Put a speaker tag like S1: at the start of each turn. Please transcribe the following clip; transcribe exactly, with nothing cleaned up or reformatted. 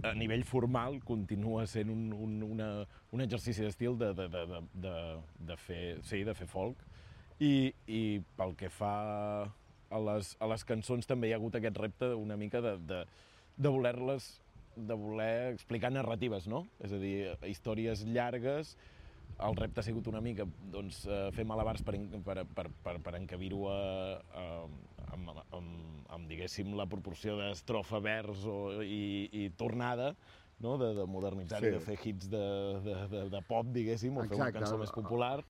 S1: a nivell formal continua sent un, un, una, un exercici d'estil de, de, de, de, de, de, fer, sí, de fer folk. I, i pel que fa a les, a les cançons també hi ha hagut aquest repte una mica de, de, de voler-les de voler explicar narratives, no? És a dir, històries llargues. El repte ha sigut una mica doncs, fer malabars per, per, per, per, per encabir-ho amb, amb, amb, diguéssim, la proporció d'estrofa, vers o, i, i tornada, no? de, de modernitzar-ho, sí. de fer hits de, de, de, de pop, diguéssim, o Exacte. fer una cançó més popular.